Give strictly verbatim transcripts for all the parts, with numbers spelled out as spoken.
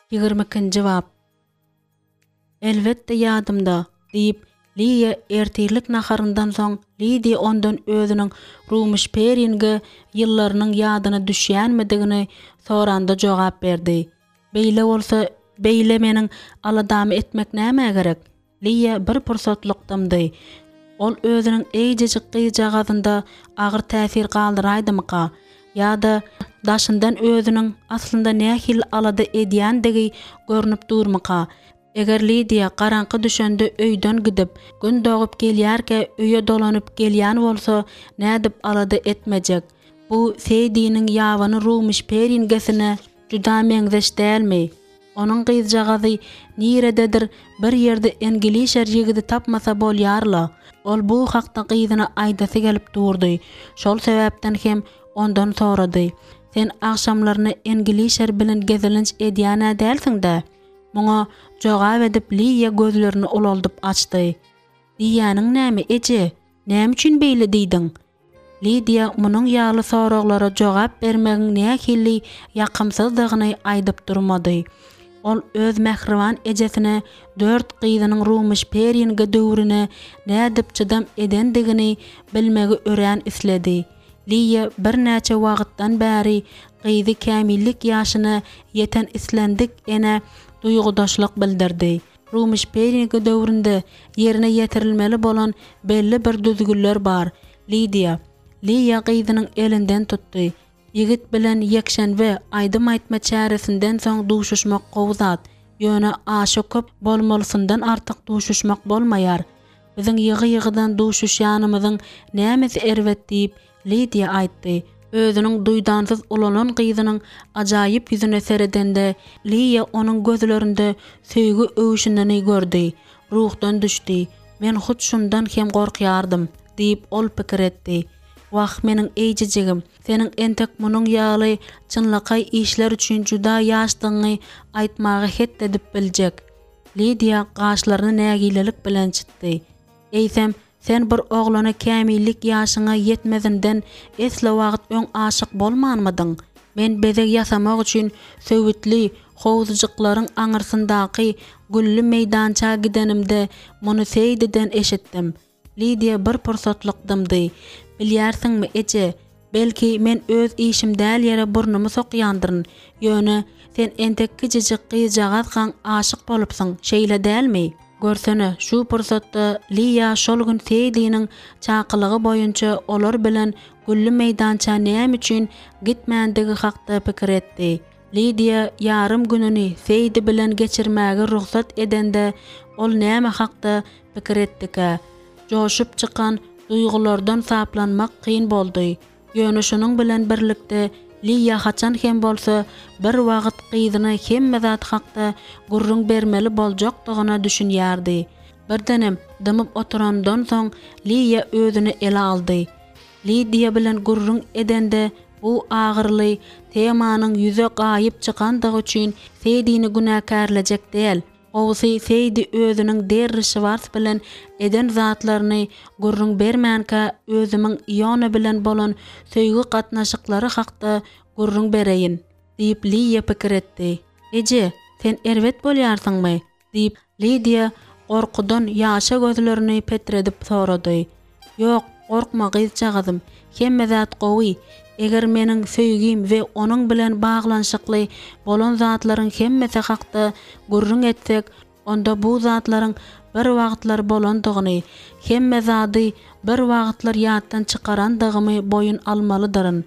Ýigrimi ikinji bap. Elbetde ýadymda, diýip, Liýa ertirlik naharyndan soň Lidiýa ondan özüniň Rumyş-Peringe ýyllarynyň ýadyna düşýänmidigini soranda jogap berdi. Beýle bolsa, beýle meniň aladamy etmek nämä gerek? Liýa bir pursatlyk dymdy. Ol özüniň eýjejik gyzjagazynda agyr täsir galdyraýdymyka? Ýa-da daşyndan özüniň aslynda nähili alada edýändigi görnüp durmyka? Eger Lidiýa garaňky düşende öýden gidip, Gün dogup gelýärkä öýe dolanyp gelýän bolsa, nädip alada etmejek? Bu Seýdiniň ýabany Rumyş peringesine juda meňzeş dälmi? Onuň gyzjagazy nirededir bir ýerde englişer ýigidi tapmasa bolýar-la. Ol bu hakda gyzyna aýdasy gelip durdy. Şol sebäpden hem ondan sorady. Sen agşamlaryna englişer bilen gezelenç edýän-ä dälsiň-dä? Muňa jogap edip Liýa gözlerini ulaldyp açdy. Diýýäniň näme, eje? Näme üçin beýle diýdiň? Lidiýa munuň ýaly soraglara jogap bermegiň nähili ýakymsyzdygyny aýdyp durmady. Ol öz mähriban ejesine dört gyzynyň Rumyş-Peringe döwrüne nädip çydam edendigini bilmegi örän isledi. Liýa birnäçe wagtdan bäri gyzy kämillik ýaşyna ýeten islendik enä duýgudaşlyk bildirdi. Rumyş-Peringe döwründe ýerine ýetirilmeli bolan belli bir düzgünler bar. Lidiýa. Liýa gyzynyň elinden tutdy. Ýigit bilen ýekşenbe aýdym aýtma çäresinden soň duşuşmak gowy zat. Ýöne aşa köp bolmalysyndan artyk duşuşmak bolmaýar. Biziň ýygy-ýygydan duşuşýanymyzyň nämesi erbet diýip, Lidiýa aýtdy. Özüniň duýdansyz ulalan gyzynyň ajaýyp ýüzüne seredende, Liýa onuň gözlerinde söýgi öwşünini gördi. Ruhdan düşdi. Men hut şundan hem gorkýardym, diýip, ol pikir etdi. Wah, meniň eýjejigim, seniň entek munuň ýaly çynlakaý işler üçin juda ýaşdygyňy aýtmaga het edip biljek. Lidiýa gaşlaryny nägilelik bilen çytdy. Eýsem, sen bir oglana kämillik ýaşyňa ýetmezinden esli wagt öň aşyk bolmanmydyň? Men bezeg ýasamak üçin söwütli howuzjyklaryň aňyrsyndaky gülli meýdança gidenimde muny Seýdiden eşitdim. Lidiýa bir pursatlyk dymdy. Bilýärsiňmi, eje, belki, men öz işim däl ýere burnumy sokýandyryn, ýöne sen entek kiçijik gyzjagazkaň aşyk bolupsyň, şeýle dälmi? Görsene, şu pursatda Liýa şol gün Seýdiniň çakylygy boýunça olar bilen gülli meýdança näme üçin gitmändigi hakda pikir etdi. Lidiýa ýarym gününi Seýdi bilen geçirmäge rugsat edende, ol näme hakda pikir etdikä? Joşup çykan duýgulardan saplanmak kyn boldy. Ýöne şunuň bilen birlikde Liýa haçan hem bolsa bir wagt gyzyna hemme zat hakda gürrüň bermeli boljakdygyna düşünýärdi. Birdenem dymyp oturandan soň Liýa özüni ele aldy. Lidiýa bilen gürrüň edende bu agyryly temanyň ýüze gaýyp çykandygy üçin Seýdini günäkärlejek däl. Gowusy Seýdi özüniň Derri Şwars bilen eden zatlaryny gürrüň bermänkä özümiň Iona bilen bolan söýgi gatnaşyklary hakda gürrüň bereýin, diýip Liýa pikir etdi. Eje, sen erbet bolýarsyňmy? Diýip, Lidiýa gorkudan ýaşa gözlerini petredip sorady. Ýok, gorkma gyzjagazym, hemme zat gowy. Eger meniň söýgim we onuň bilen baglanyşykly bolan zatlaryň hemmesi hakda gürrüň etsek, onda bu zatlaryň bir wagtlar bolandygyny, hemme zady bir wagtlar ýatdan çykarandygymy boýun almalydyryn.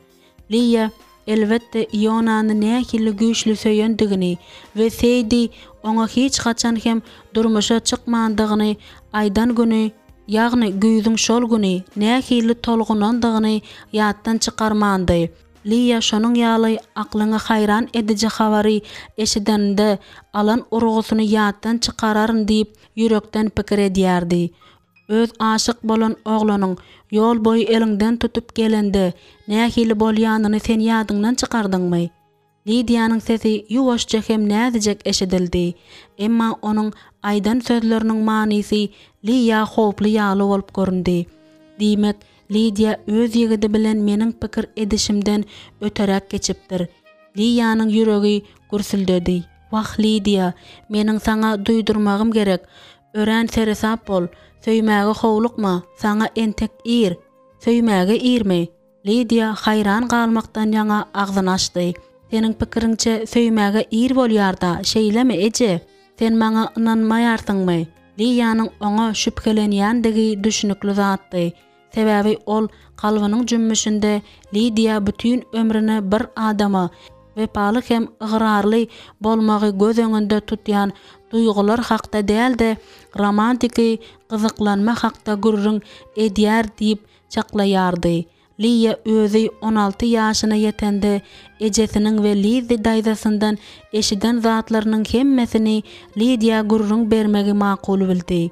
Liýa, elbetde, Ionany nähili güýçli söýendigini we Seýdi oňa hiç haçan hem durmuşa çykmandygyny aýdan güni, ýagny güýzüň şol güni nähili tolgunandygyny ýatdan çykarmandy. Liýa şonuň ýaly aklyňy haýran ediji habary eşideninde alan urgusyny ýatdan çykararyn diýip ýürekden pikir edýärdi. Öz aşyk bolan oglanyň ýol boýy eliňden tutup gelende nähili bolýanyny sen ýadyňdan çykardyňmy? Lidiýanyň sesi ýuwaşja hem näzijek eşidildi. Emma onuň aýdan sözleriniň manysy Liýa howply ýaly bolup göründi. Diýmek, Lidiýa öz ýigidi bilen meniň pikir edişimden öteräk geçipdir. Liýanyň ýüregi gürsüldedi. Wah, Lidiýa, meniň saňa duýdurmagym gerek. Örän seresap bol. Söýmäge howlukma, saňa entek ir. Söýmäge irmi? Lidiýa haýran galmakdan ýaňa agzyny açdy. Seniň pikiriňçe söýmäge ir bolýar-da, şeýlemi, eje? Sen maňa ynanmaýarsyňmy? Liýanyň oňa şübhelenýändigi düşnükli zatdy. Sebäbi ol kalbynyň jümmüşinde Lidiýa bütin ömrüne bir adama wepaly hem ygrarly bolmagy göz öňünde tutýan duýgular hakda däl-de, romantiki gyzyklanma hakda gürrüň edýär diýip çaklaýardy. Liýa özi on alty ýaşyna ýetende ejesiniň we Lizzi daýzasyndan eşiden zatlarynyň hemmesini Lidiýa gürrüň bermegi makul bildi.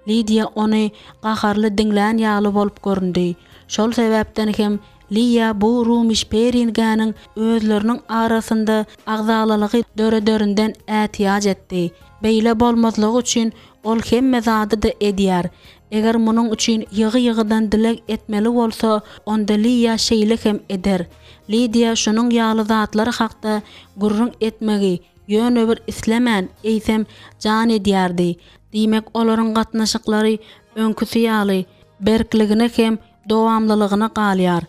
Lidiýa ony gaharly diňlän ýaly bolup göründi. Şol sebäpden hem Liýa bu Rumişperingäniň özleriniň arasynda agzalalygy dörederinden ätiýaç etdi. Beýle bolmazlygy üçin ol hemme zady-da edýär. Eger munuň üçin ýygy-ýygydan dileg etmeli bolsa, onda Liýa şeýle hem eder. Lidiýa şunuň ýaly zatlar hakda gürrüň etmegi ýöne bir islemän, eýsem, jan edýärdi. Diýmek, olaryň gatnaşyklary öňküsi ýaly berkligine hem dowamlylygyna galýar.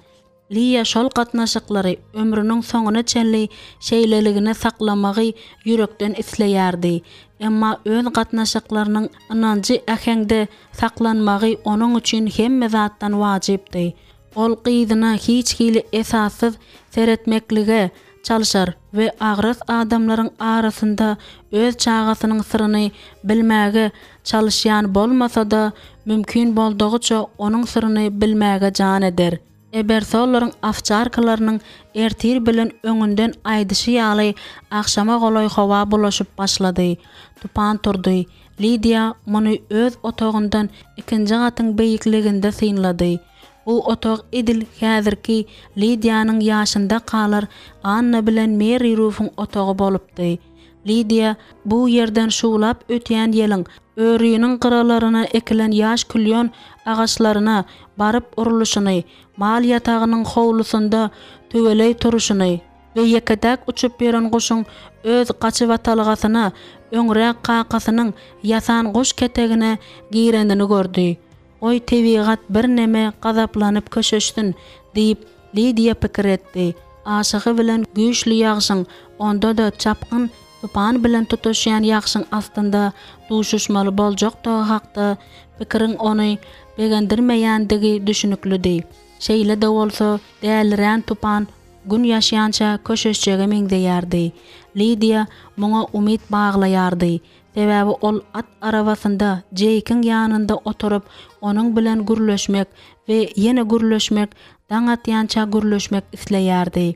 Liýa şol gatnaşyklary ömrüniň soňuna çenli şeýleligine saklamagy ýürekden isleýärdi. Emma öz gatnaşyklarynyň ynanjy äheňde saklanmagy onuň üçin hemme zatdan wajypdy. Ol gyzyna hiç hili esassyz seretmeklige çalşar we agras adamlaryň arasynda öz çagasynyň syryny bilmäge çalyşýan bolmasa-da, mümkin boldugyça onuň syryny bilmäge jan eder. Ebersollaryň owçarkalarynyň ertir bilen öňünden aýdyşy ýaly agşama golaý howa bulaşyp başlady. Tupan turdy. Lidiýa muny öz otagyndan ikinji gatyň beýikliginde synlady. Bu otag edil häzirki Lidiýanyň ýaşyndakalar Anna bilen Meri Rufuň otagy bolupdy. Lidiýa bu ýerden şuwlap ötýän ýeliň öriniň gyralaryna ekilen ýaş klýon agaçlaryna baryp urluşyny, mal ýatagynyň howlusynda tüweleý turuşyny we ýeke-täk uçup ýören guşuň öz gaçybatalgasyna, öňräk kakasynyň ýasan guş ketegine girenini gördi. Goý, tebigat birneme gazaplanyp köşeşsin, diýip, Lidiýa pikir etdi. Aşygy bilen güýçli ýagşyň, onda-da çapgyn tupan bilen tutuşýan ýagşyň astynda duşuşmaly boljakdygy hakda pikiriň ony begendirmeýändigi düşüniklidi. Şeýle-de bolsa, dälirän tupan Gün ýaşýança köşeşjege meňzeýärdi. Lidiýa muňa umyt baglaýardy. Sebäbi ol at arabasynda Jeýkiň ýanynda oturyp, onuň bilen gürleşmek we ýene gürleşmek, daň atýança gürleşmek isleýärdi.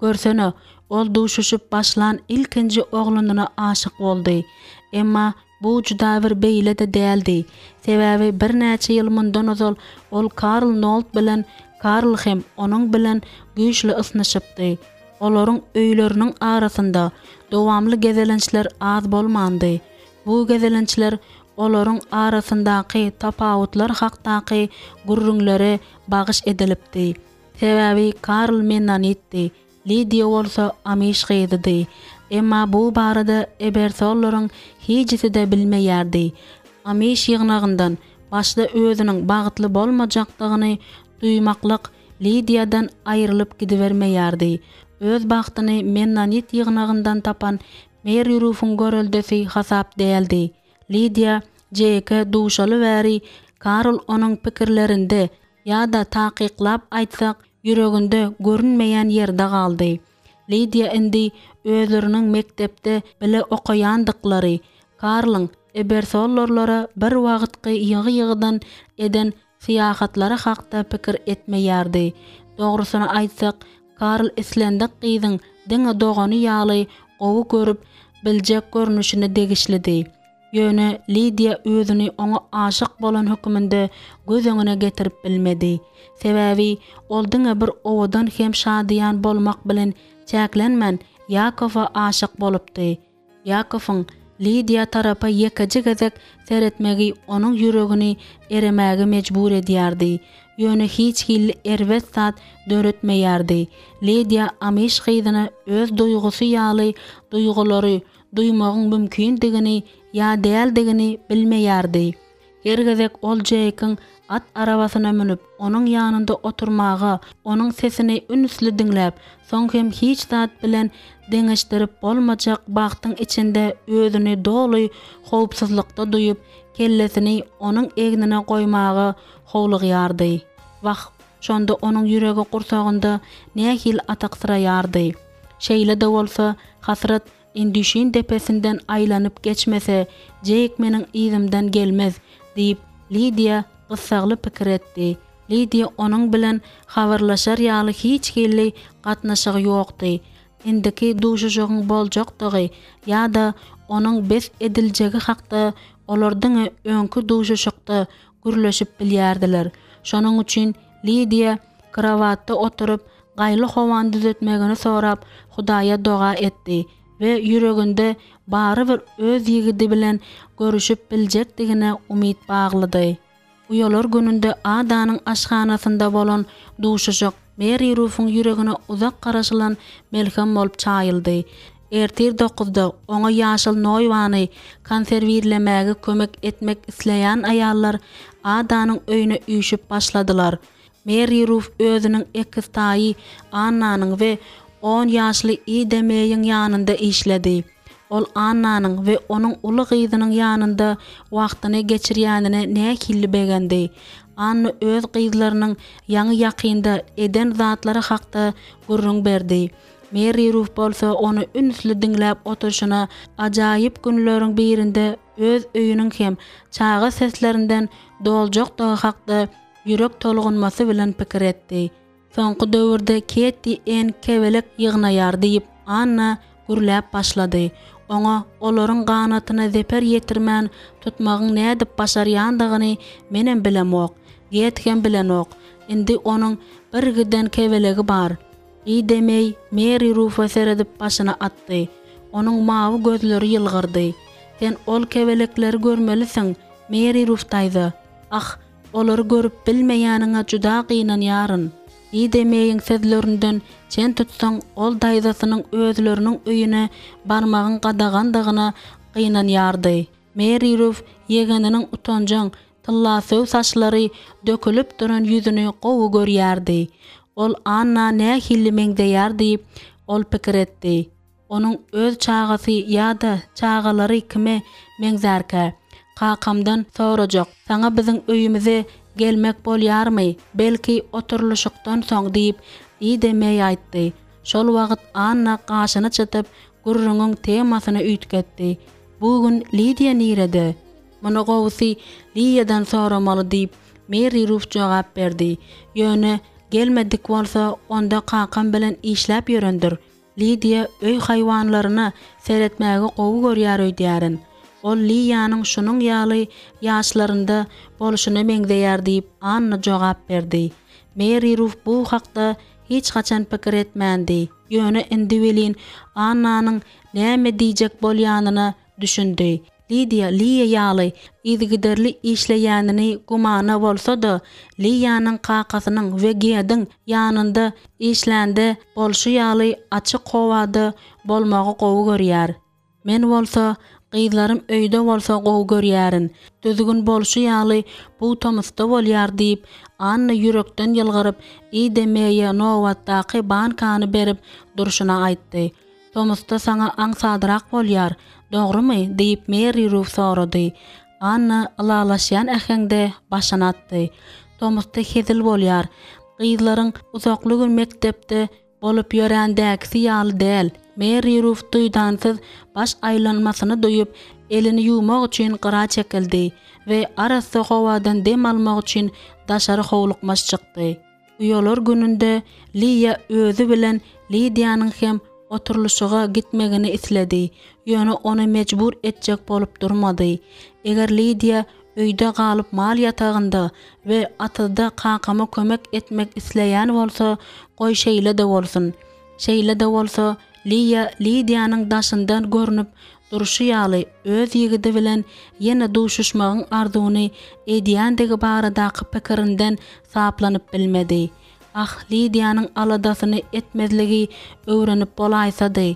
Görsene, ol duşuşyp başlan ilkinji oglanyna aşyk boldy. Emma bu juda bir beýle-de däldi. Sebäbi birnäçe ýyl mundan ozal ol Karl Nolt bilen Karl hem onuň bilen güýçli ysnyşypdy. Olaryň öýleriniň arasynda dowamly gezelençler az bolmandy. Bu gezelençler olaryň arasyndaky tapawutlar hakdaky gürrüňlere bagyş edilipdi. Sebäbi Karl mennonitdi, Lidiýa bolsa amiş gyzydy. Emma bu barada Ebersollaryň hijisi-de bilmeýärdi. Amiş ýygnagyndan başda özüniň bagtly bolmajakdygyny duýmaklyk Lidiýadan aýrylyp gidibermeýärdi. Öz bagtyny mennonit ýygnagyndan tapan Meri Rufuň göreldesi hasap däldi. Lidiýa Jeýke duşaly bäri Karl onuň pikirlerinde, ýa-da takyklap aýtsak, ýüreginde görünmeýän ýerde galdy. Lidiýa indi özleriniň mekdepde bile okaýandyklary, Karlyň Ebersollerlere bir wagtky ýygy-ýygydan eden syýahatlary hakda pikir etmeýärdi. Dogrusyny aýtsak, Karl islendik gyzyň diňe dogany ýaly gowy görüp biljek görnüşine degişlidi. Ýöne Lidiýa özüni oňa aşyk bolan höküminde göz öňüne getirip bilmedi. Sebäbi ol diňe bir owadan hem şadyýan bolmak bilen çäklenmän, Ýakowa aşyk bolupdy. Ýakowyň Lidiýa tarapa ýekeje gezek seretmegi onuň ýüregini eremäge mejbur edýärdi. Ýöne hiç hili erbet zat döretmeýärdi. Lidiýa amiş gyzyna öz duýgusy ýaly duýgulary duýmagyň mümkindigini ýa däldigini bilmeýärdi. Her gezek ol Jeýkiň at arabasyna münüp, onuň ýanynda oturmaga, onuň sesini ünsli diňläp, soň hem hiç zat bilen deňeşdirip bolmajak bagtyň içinde özüni doly howpsuzlykda duýup, kellesini onuň egnine goýmaga howlugýardy. Wah, şonda onuň ýüregi gursagynda nähili ataksyraýardy. Şeýle-de bolsa, hasrat Indüşin depesinden aýlanyp geçmese, Jeýk meniň yzymdan gelmez, diýip, Lidiýa gyssagly pikir etdi. Lidiýa onuň bilen habarlaşar ýaly hiç hili gatnaşygy ýokdy. Indiki duşuşygyň boljakdygy ýa-da onuň bes ediljegi hakda olar diňe öňki duşuşykda gürleşip bilýärdiler. Şonuň üçin Lidiýa krowatda oturyp, gaýly howany düzetmegini sorap, Hudaýa doga etdi we ýüreginde barybir öz ýigidi bilen görüşip biljekdigine umyt baglady. Uýalar gününde Adanyň aşhanasynda bolan duşuşyk Meri Rufuň ýüregine uzak garaşylan melhem bolup çaýyldy. Ertir dokuzda oňa ýaşyl noýbany konserwirlemäge kömek etmek isleýän aýallar Adanyň öýüne üýşüp başladylar. Meri Ruf özüniň ekiztaýy Annanyň we on ýaşly Ida Meýiň ýanynda işledi. Ol Annanyň we onuň uly gyzynyň ýanynda wagtyny geçirýänine nähili begendi. Anna öz gyzlarynyň ýaňy-ýakynda eden zatlary hakda gürrüň berdi. Meri Ruf bolsa ony ünsli diňläp oturyşyna ajaýyp günleriň birinde öz öýüniň hem çaga seslerinden doljakdygy hakda ýürek tolgunmasy bilen pikir etdi. Soňky döwürde Ketti Enn kebelek ýygnaýar diýip, Anna gürläp başlady. Oňa olaryň ganatyna zeper ýetirmän tutmagyň nädip başarýandygyny menem bilemok, Get hem bilenok. Indi onuň birgiden kebelegi bar. Ida Meý Meri Rufa seredip başyny atdy. Onuň mawy gözleri ýylgyrdy. Sen ol kebelekleri görmelisiň, Meri Ruf daýza. Ah, olary görüp bilmeýäniňe juda gynanýaryn. Ida Meýiň sözlerinden çen tutsaň, ol daýzasynyň özleriniň öýüne barmagyň gadagandygyna gynanýardy. Meri Ruf ýegeniniň utanjaň, tyllasöw saçlary dökülip duran ýüzüni gowy görýärdi. Ol Anna nähili meňzeýär diýip, ol pikir etdi. Onuň öz çagasy ýa-da çagalary kime meňzärkä? Kakamdan sorajak, saňa biziň öýümize gelmek bolýarmy, belki, oturylyşykdan soň diýip, Ida Meý aýtdy. Şol wagt Anna gaşyny çytyp, gürrüňiň temasyny üýtgetdi. Bu gün Lidiýa nirede? Muny gowusy Liýadan soramaly diýip, Meri Ruf jogap berdi. Ýöne gelmedik bolsa, onda kakam bilen işläp ýörendir. Lidiýa öý haýwanlaryna seretmägi gowy görýär öýdýärin. Ol Liýanyň şunuň ýaly ýaşlarynda bolşuna meňzeýär diýip, Anna jogap berdi. Meri Ruf bu hakda hiç haçan pikir etmändi, ýöne indi welin Annanyň näme diýjek bolýanyna düşündi. Lidiýa Liýa ýaly yzygiderli işleýänini gümana bolsa-da, Liýanyň kakasynyň we Gediň ýanynda işlände bolşy ýaly açyk howada bolmagy gowy görýär. Men bolsa, gyzlarym öýde bolsa gowy görýärin. Düzgün bolşy ýaly bu tomusda bolýar diýip, Anna ýürekden ýylgyryp, Ida Meýe nobatdaky bankany berip durşuna aýtdy. Tomusda saňa aňsadrak bolýar, dogrumy? diýip, Meri Ruf sorady. Anna ylalaşýan äheňde başyny atdy. Tomusda hezil bolýar. Gyzlaryň uzakly gün mekdepde bolup ýörändäkisi ýaly däl. Meri Ruf duýdansyz baş aýlanmasyny duýup, elini ýuwmak üçin gyra çekildi we arassa howadan dem almak üçin daşary howlukmaç çykdy. Uýalar gününde Liýa özi bilen Lidiýanyň hem oturylyşyga gitmegini isledi, ýöne ony mejbur etjek bolup durmady. Eger Lidiýa öýde galyp mal ýatagynda we atyzda kakama kömek etmek isleýän bolsa, goý şeýle-de bolsun. Şeýle-de bolsa, Liýa Lidiýanyň daşyndan görnüp durşy ýaly öz ýigidi bilen ýene duşuşmagyň arzuwyny edýändigi baradaky pikirinden saplanyp bilmedi. Ah, Lidiýanyň aladasyny etmezligi öwrenip bolaýsady!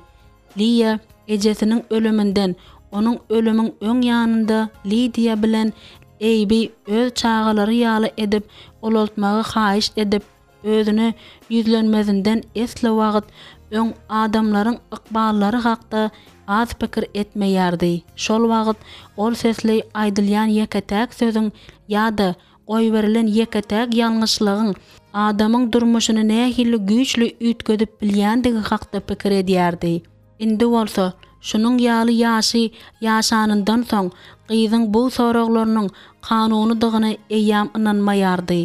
Liýa Ejesiniň ölüminden, onuň ölümiň öň ýanynda Lidiýa bilen Eýbi öz çagalary ýaly edip ulaltmagy haýyşt edip, özüne ýüzlenmezinden esli wagt öň adamlaryň ykballary hakda az pikir etmeýärdi. Şol wagt ol sesli aýdylýan ýeke-täk sözüň ýa-da goýberilen ýeke-täk ýalňyşlygyň adamyň durmuşyny nähili güýçli üýtgedip bilýändigi hakda pikir edýärdi. Indi bolsa, şunuň ýaly ýaşy ýaşanyndan soň, gyzyň bu soraglarynyň kanunydygyna eýýäm ynanmaýardy.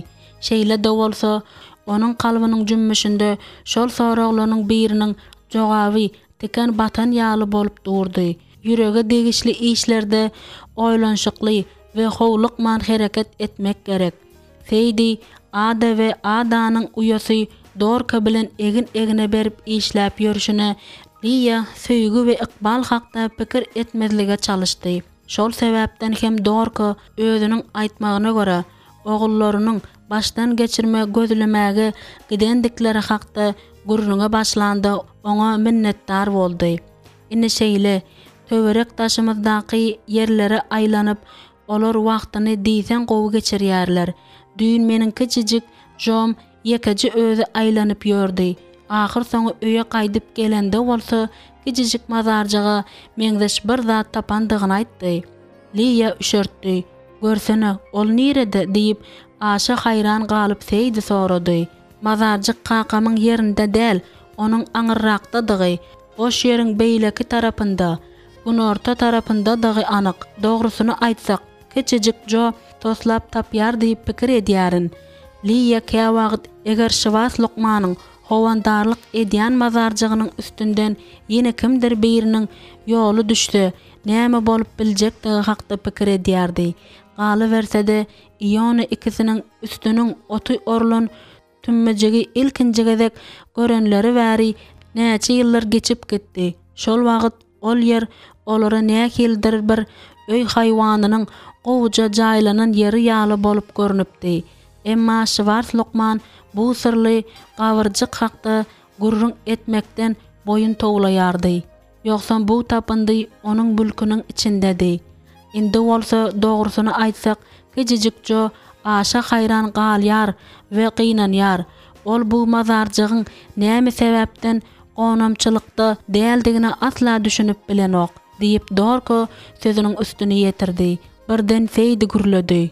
Şeýle-de bolsa, onuň kalbynyň jümmüşinde şol soraglarynyň biriniň jogaby tiken batan ýaly bolup durdy. Ýürege degişli işlerde oýlanyşykly we howlukman hereket etmek gerek. Seýdi Ada we Adanyň uýasy Dorka bilen egin-egne berip işläp ýörşüne Liýa söýgi we ykbal hakda pikir etmezlige çalyşdy. Şol sebäpden hem Dorka özüniň aýtmagyna görä, ogullarynyň başdan geçirme gözlemäge gidendikleri hakda gürrüňe başlanda oňa minnetdar boldy. Ine şeýle, töwerek-daşymyzdaky ýerlere aýlanyp, olar wagtyny diýseň gowy geçirýärler. Düýn meniň kiçijik Jom ýekeje özi aýlanyp ýördi. Ahyrsoňy öýe gaýdyp gelende bolsa kiçijik mazarjyga meňzeş bir zat tapandygyny aýtdy. Liýa üşertdi. Görsene, ol nirede? diýip, aşa haýran galyp Seýdi sorady. Mazarjyk kakamyň ýerinde däl, onuň aňyrrakdadygy, boş ýeriň beýleki tarapynda, günorta tarapyndadygy anyk. Dogrusyny aýtsak, kiçijik Jo toslap tapýar diýip pikir edýärin. Liýa käwagt eger Şiwas lukmanyň howandarlyk edýän mazarjygynyň üstünden ýene kimdir biriniň ýoly düşse, näme bolup biljekdigi hakda pikir edýärdi. Galyberse-de, Iona ikisiniň üstüniň oty orlan tümmejigi ilkinji gezek görenleri bäri näçe ýyllar geçip gitdi. Şol wagt ol ýer olara nähilidir bir öý haýwanynyň gowuja jaýlanan ýeri ýaly bolup görnüpdi. Emma Şwars lukman bu syrly gabyrjyk hakda gürrüň etmekden boýun towlaýardy. Ýogsam bu tapyndy onuň mülküniň içindedi. Indi bolsa, dogrusyny aýtsak, kiçijik Jo aşa haýran galýar we gynanýar. Ol bu mazarjygyň näme sebäpden gonamçylykda däldigine asla düşünip bilenok, diýip, Dorko sözüniň üstüni ýetirdi. Birden Seýdi gürledi.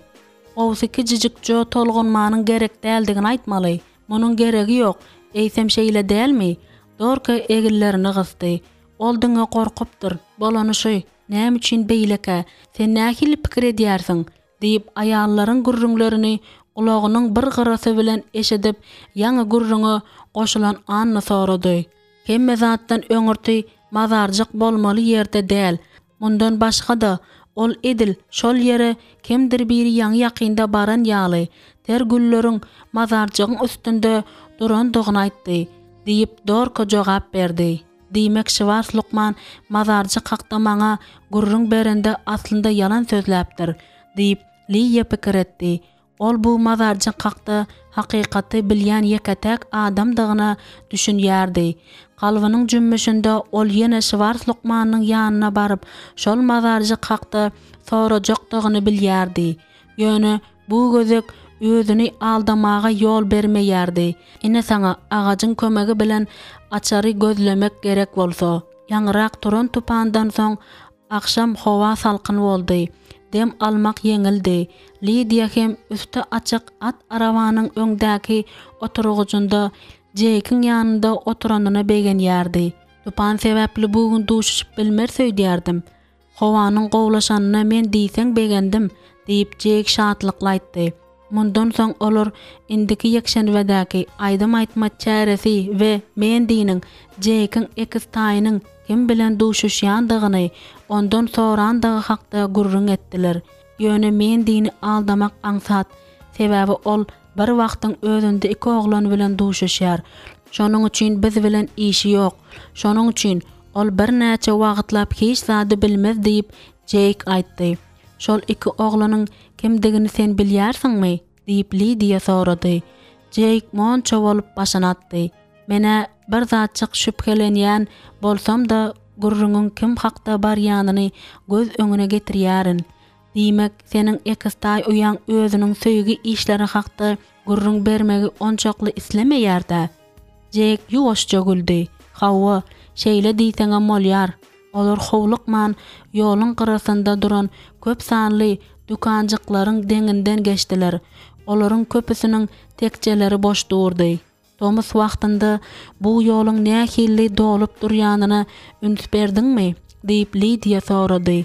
Gowusy kiçijik Jo tolgunmanyň gerek däldigini aýtmaly. Munuň geregi ýok, eýsem şeýle dälmi? Dorka eginlerini gysdy. Ol diňe gorkupdyr. Bolany şu. Näme üçin beýlekä? Sen nähili pikir edýärsiň? diýip, aýallaryň gürrüňlerini gulagynyň bir gyrasy bilen eşidip, ýaňy gürrüňe goşulan Anna sorady. Hemme zatdan öňürti mazarjyk bolmaly ýerde däl. Mundan başga-da, ol edil şol ýere kimdir biri ýaňy-ýakynda baran ýaly, ter gülleriň mazarjygyň üstünde durandygyny aýtdy, diýip, Dorka jogap berdi. Diýmek, Şwars lukman mazarjyk hakda maňa gürrüň berende aslynda ýalan sözläpdir, diýip, Liýa pikir etdi. Ol bu mazarjyk hakda hakykaty bilýän ýeke-täk adamdygyna düşünýärdi. Kalbynyň jümmüşinde ol ýene Şwars lukmanyň ýanyna baryp, şol mazarjyk hakda sorajakdygyny bilýärdi. Ýöne bu gezek özüni aldamaga ýol bermeýärdi. Ine saňa agajyň kömegi bilen açary gözlemek gerek bolsa. Ýaňyrak turan tupandan soň Agşam howa salkyn boldy. Dem almak ýeňildi. Lidiýa hem üsti açyk at arabanyň öňdäki oturgyjynda Jeýkiň ýanynda oturanyna begenýärdi. Tupan sebäpli bu gün duşuşyp bilmeris öýdýärdim. Howanyň gowulaşanyna men diýseň begendim, diýip, Jeýk şatlykly aýtdy. Mundan soň olar indiki ýekşenbedäki aýdym aýtma çäresi we Mendiniň Jeýkiň ekiztaýynyň kim bilen duşuşýandygyny ondan sorandygy hakda gürrüň etdiler. Ýöne Mendini aldamak aňsat, sebäbi ol bir wagtyň özünde iki oglan bilen duşuşýar. Şonuň üçin biz bilen işi ýok. Şonuň üçin ol birnäçe wagtlap hiç zady bilmez diýip, Jeýk aýtdy. Şol iki oglanyň kimdigini sen bilýärsiňmi? diýip, Lidiýa sorady. Jeýk monça bolup başyny atdy. Men-ä bir zatjyk şübhelenýän bolsam-da, gürrüňiň kim hakda barýanyny göz öňüne getirýärin. Diýmek, seniň ekiztaý uýaň özüniň söýgi işleri hakda gürrüň bermegi onçakly islemeýär-dä? Jek ýuwaşja güldi. Hawa, şeýle diýseňem bolýar. Olar howlukman ýoluň gyrasynda duran köp sanly dükanjyklaryň deňinden geçdiler. Olaryň köpüsiniň tekjeleri boş durdy. Tomus wagtynda bu ýoluň nähili dolup durýanyna üns berdiňmi? diýip, Lidiýa sorady.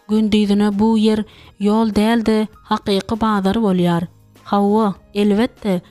Gündizine bu ýer ýol däl-de, hakyky bazar bolýar. Hawa, elbetde.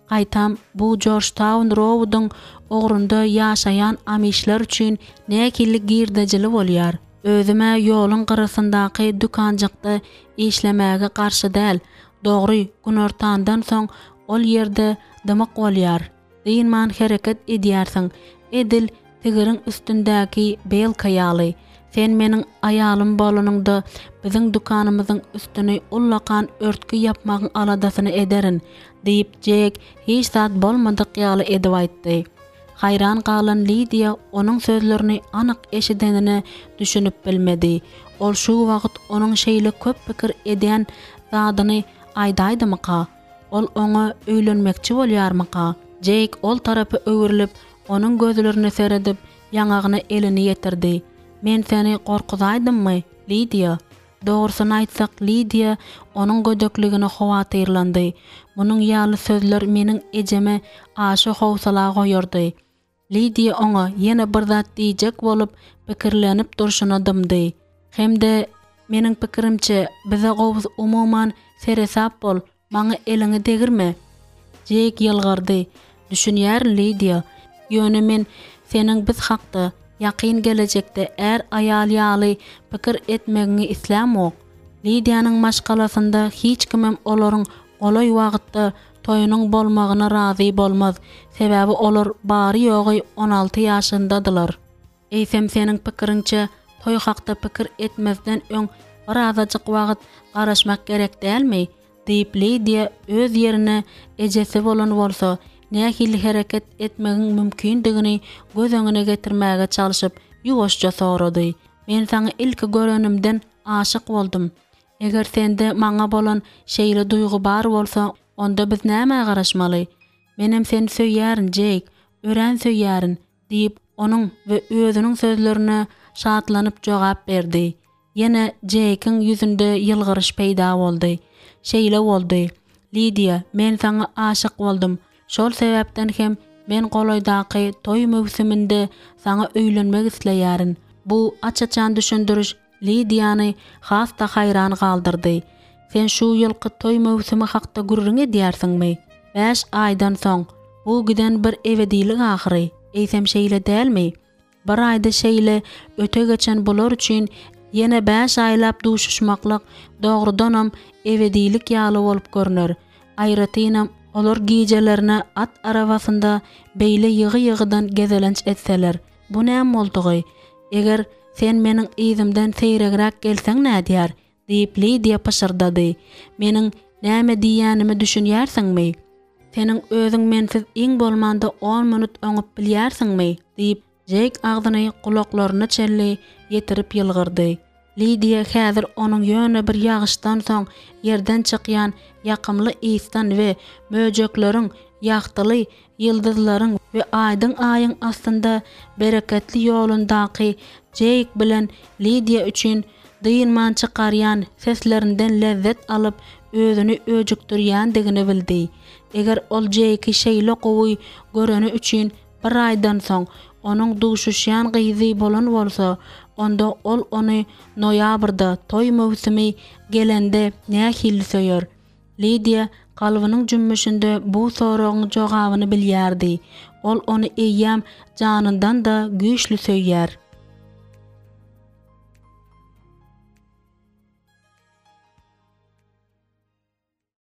Gaýtam, bu Jorjtaun-Roudyň ugrunda ýaşaýan amişler üçin nähili girdejili bolýar. Özüm-ä ýoluň gyrasyndaky dükanjykda işlemäge garşy däl. Dogry, günortandan soň ol ýerde dymyk bolýar. Dynman hereket edýärsiň, edil tigiriň üstündäki belka ýaly. Sen meniň aýalym bolanyňda, biziň dükanymyzyň üstüni ullakan örtgi ýapmagyň aladasyny ederin, diýip, Jek hiç zat bolmadyk ýaly edip aýtdy. Haýran galan Lidiýa onuň sözlerini anyk eşidenine düşünip bilmedi. Ol şu wagt onuň şeýle köp pikir edýän zadyny aýdaýdymyka? Ol oňa öýlenmekçi bolýarmyka? Jeýk ol tarapa öwrülip, onuň gözlerine seredip, ýaňagyna elini ýetirdi. Men seni gorkuzaýdymmy, Lidiýa? Dogrusyny aýtsak, Lidiýa onuň gödekligine howatyrlandy. Munuň ýaly sözler meniň ejeme aşa howsala goýardy. Lidiýa oňa ýene bir zat diýjek bolup pikirlenip durşuna dymdy. Hem-de, Meniň pikirimçe, bize gowusy umuman seresap bol, maňa eliňi degirme. Jeýk ýylgyrdy. Düşünýärin, Lidiýa. Ýöne men seniň biz hakda, ýakyn gelejekde är-aýal ýaly pikir etmegiňi islämok. Lidiýanyň maşgalasynda hiç kimem olaryň golaý wagtda toýunyň bolmagyna razy bolmaz, sebäbi olar bary-ýogy on alty ýaşyndadylar. Eýsem seniň pikiriňçe toý hakda pikir etmezden öň birazajyk wagt garaşmak gerek dälmi? diýip Lidiýa öz ýerine ejesi bolan bolsa nähili hereket etmegiň mümkindigini göz öňüne getirmäge çalşyp ýuwaşja sorady. Men saňa ilki görenimden aşyk boldum. Eger sende maňa bolan şeýle duýgy bar bolsa, onda biz nämä garaşmaly? Menem seni söýýärin, Jeýk, örän söýýärin, diýip, onuň we özüniň sözlerine şatlanyp jogap berdi. Ýene Jeýkiň ýüzünde ýylgyryş peýda boldy. Şeýle boldy. Lidiýa, men saňa aşyk boldum. Şol sebäpden hem men golaýdaky toý möwsüminde saňa öýlenmek isleýärin. Bu aç-açan düşündiriş Lidiýany has-da haýran galdyrdy. Sen şu ýylky toý möwsümi hakda gürrüň edýärsiňmi? Bäş aýdan soň. Bu giden bir ebedilik ahyry, eýsem şeýle dälmi? Bir aýda şeýle öte geçen bular üçin ýene bäş aýlap duşuşmaklyk dogrudanam ebedilik ýaly bolup görner. Aýratynam olar gijelerine at arabasynda beýle ýygy-ýygydan gezelenç etseler. Bu näme boldugy? Eger sen meniň yzymdan seýregräk gelseň nädýär? diýip, Lidiýa pyşyrdady. Meniň näme diýýänime düşünýärsiňmi? Seniň özüň mensiz iň bolmanda on minut oňup bilýärsiňmi? diýip, Jeýk agzyny gulaklaryna çenli ýetirip ýylgyrdy. Lidiýa häzir onuň ýöne bir ýagyşdan soň ýerden çykýan ýakymly ysdan we möjekleriň ýagtyly ýyldyzlaryň we aýdyň aýyň astynda bereketli ýolundaky Jeýk bilen Lidiýa üçin dynman çykarýan seslerinden lezzet alyp özüni öjükdirýändigini bildi. Eger ol Jeýki şeýle gowy göreni üçin bir aýdan soň onuň duşuşýan gyzy bolan bolsa, onda ol ony noýabrda, toý möwsümi gelende nähili söýer? Lidiýa kalbynyň jümmüşinde bu soragyň jogabyny bilýärdi. Ol ony eýýäm janyndan-da güýçli söýýär.